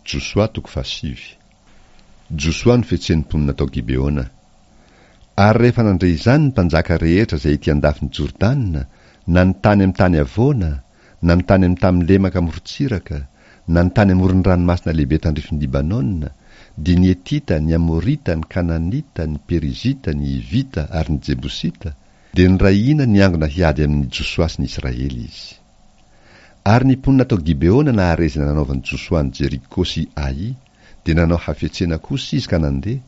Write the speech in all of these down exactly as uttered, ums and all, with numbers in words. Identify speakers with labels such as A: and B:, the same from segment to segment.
A: Josoa toko fahasivy. Josoa nofetsen'ny mponina tao Gibeona. Ary rehefa nandre izany ny mpanjaka rehetra izay ety an-dafin'i Jordana, na ny tany amin'ny tany havoana, na ny tany amin'ny tany lemaka morontsiraka, na ny tany amoron'ny ranomasina lehibe tandrifin'i Libanona, dia ny Hetita, ny Amorita, ny Kananita, ny Perizita, ny Hivita ary ny Jebosita, dia niray hina niangona hiady amin'i Josoa sy ny Israely izy. Ary ny mponina tao Gibeona nahare izay nanaovan'i Josoa an'i Jeriko sy Ai, dia nanao hafetsena kosa izy ka nandeha,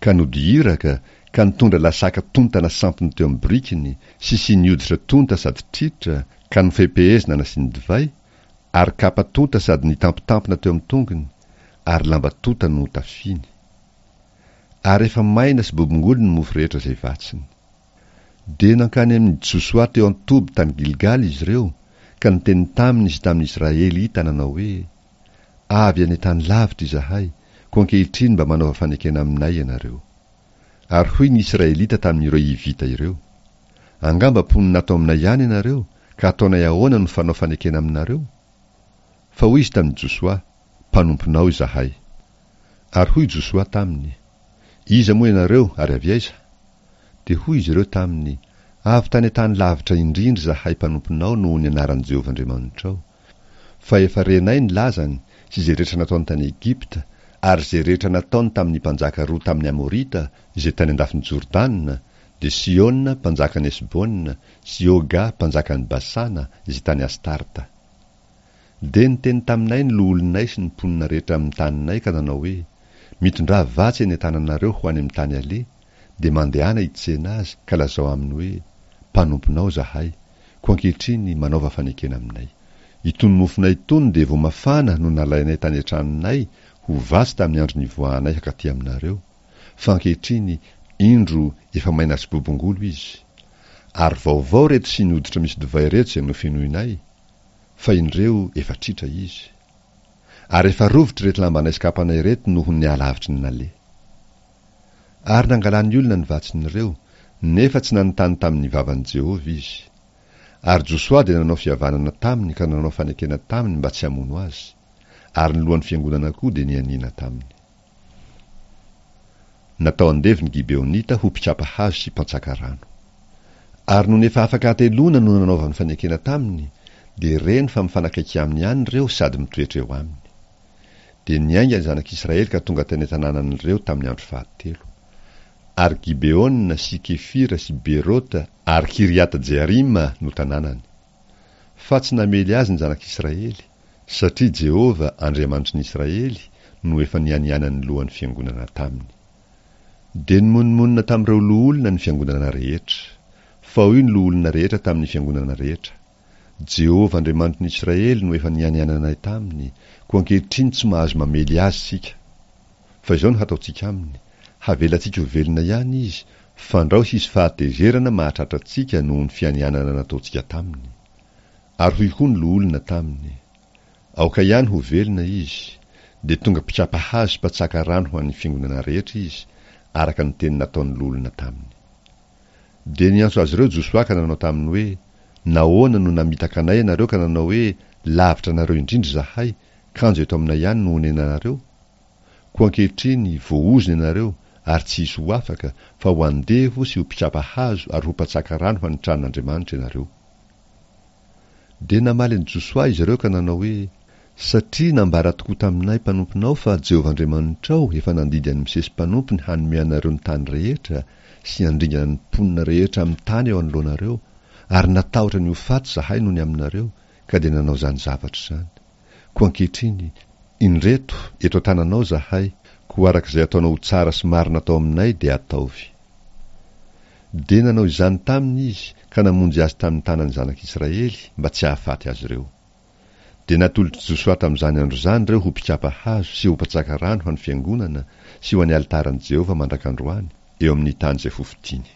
A: ka nody iraka, ka nitondra lasaka tonta nasampiny teo amin'ny birikiny, sy siny hoditra tonta sady tritra, ka nofehipehezina nasiany divay, ary kapa tonta sady nitampitampina teo amin'ny tongony, ary lamba tonta no notafiny. Ary efa maina sy bobongolo ny mofo rehetra izay vatsiny. Dia nankany amin'i Josoa teo an-toby tany Gilgala izy ireo, ka niteny taminy sy tamin'ny Israelita nanao hoe, Avy any an-tany lavitra izahay, koa ankehitriny mba manaova fanekena aminay ianareo. Ary hoy ny Israelita tamin'ireo Hivita ireo, Angamba mponina ato aminay ihany ianareo, ka ataonay ahoana no fanao fanekena aminareo? Fa hoy izy tamin'i Josoa, Mpanomponao izahay. Ary hoy Josoa taminy, Iza moa ianareo ary avy aiza? Dia hoy izy ireo taminy, Avy tany an-tany lavitra indrindra izahay mpanomponao noho ny anaran'i Jehovah Andriamanitrao. Fa efa renay ny lazany sy izay rehetra nataony tany Egypta, ary izay rehetra nataony tamin'ny mpanjaka roa tamin'ny Amorita izay tany an-dafin'i Jordana, dia Sihona mpanjakan'i Hesbona sy Oga mpanjakan'i Basana izay tany Astarta. Dia niteny taminay ny loholonay sy ny mponina rehetra amin'ny taninay ka nanao hoe, Mitondrà vatsy eny an-tananareo ho any amin'ny tany aleha, dia mandehana hitsena azy ka lazao aminy hoe, Mpanomponao izahay, koa ankehitriny manaova fanekena aminay. Itony mofonay itony dia vao mafana no nalainay tany an-tranonay ho vatsy tamin'ny andro nivoahanay hankaty aminareo, fa ankehitriny, indro, efa maina sy bobongolo izy. Ary vaovao ireto siny hoditra misy divay ireto izay nofenoinay, fa indreo efa tritra izy. Ary efa rovitra ireto lambanay sy kapanay ireto noho ny halavitry ny naleha. Ary nangalan'ny olona ny vatsin'ireo, nefa tsy nanontany tamin'ny vavan'i Jehovah izy. Ary Josoa dia nanao fihavanana taminy ka nanao fanekena taminy mba tsy hamono azy. Ary ny lohan'ny fiangonana koa dia nianiana taminy. Natao andevo ny Gibeonita ho mpikapa hazo sy mpantsaka rano. Ary nony efa afaka hateloana no nanaovany fanekena taminy, dia reny fa mifanakaiky aminy ihany ireo sady mitoetra eo aminy. Dia niainga ny zanak'Israely ka tonga tany an-tanànan'ireo tamin'ny andro fahatelo. Ary Gibeona sy Kefira sy Berota ary Kiriata-Jearima no tanànany. Fa tsy namely azy ny zanak'Israely, satria Jehovah, Andriamanitry ny Israely, no efa nianianan'ny lohan'ny fiangonana taminy. Dia nimonomonona tamin'ireo loholona ny fiangonana rehetra. Fa hoy ny loholona rehetra tamin'ny fiangonana rehetra, Jehovah Andriamanitry ny Israely no efa nianiananay taminy, koa ankehitriny tsy mahazo mamely azy isika. Fa izao no hataontsika aminy, havelantsika ho velona ihany izy, fandrao hisy fahatezerana mahatratra antsika noho ny fianianana nataontsika taminy. Ary hoy koa ny loholona taminy, Aoka ihany ho velona izy. Dia tonga mpikapa hazo sy mpatsaka rano ho an'ny fiangonana rehetra izy, araka ny teny nataon'ny loholona taminy. Dia niantso azy ireo Josoa ka nanao taminy hoe, Nahoana no namitaka anay ianareo ka nanao hoe, Lavitra anareo indrindra izahay, kanjo eto aminay ihany no onenanareo? Koa ankehitriny, voaozona ianareo, ary tsy hisy ho afaka, fa ho andevo sy ho mpikapa hazo ary ho mpatsaka rano ho an'ny tranon'Andriamanitra ianareo. Dia namaly an'i Josoa izy ireo ka nanao hoe, Satria nambara tokoa taminay mpanomponao fa Jehovah Andriamanitrao efa nandidy an'i Mosesy mpanompony hanome anareo ny tany rehetra sy handringana ny mponina rehetra amin'ny tany eo anoloanareo, ary natahotra ny ho faty izahay noho ny aminareo, ka dia nanao izany zavatra izany. Koa ankehitriny, indreto, eto an-tananao izahay, koa araka izay ataonao ho tsara sy marina atao aminay dia ataovy. Dia nanao izany taminy izy ka namonjy azy tamin'ny tanan'ny zanak'Israely mba tsy hahafaty azy ireo. Dia natolotr'i Josoa tamin'izany andro izany ireo ho mpikapa hazo sy ho mpatsaka rano ho an'ny fiangonana sy ho an'ny alitaran'i Jehovah mandrak'androany, eo amin'ny tany izay hofidiny.